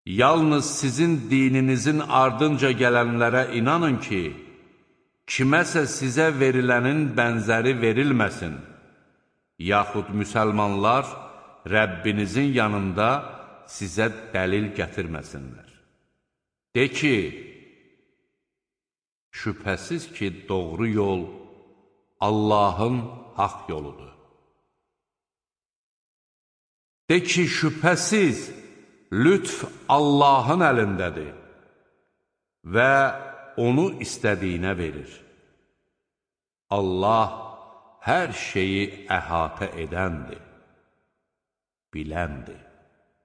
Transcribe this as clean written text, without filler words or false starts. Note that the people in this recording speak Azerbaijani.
Yalnız sizin dininizin ardınca gələnlərə inanın ki, kiməsə sizə verilənin bənzəri verilməsin, yaxud müsəlmanlar Rəbbinizin yanında sizə dəlil gətirməsinlər. De ki, şübhəsiz ki, doğru yol Allahın haqq yoludur. De ki, şübhəsiz lütf Allahın əlindədir və onu istədiyinə verir. Allah hər şeyi əhatə edəndir, biləndir.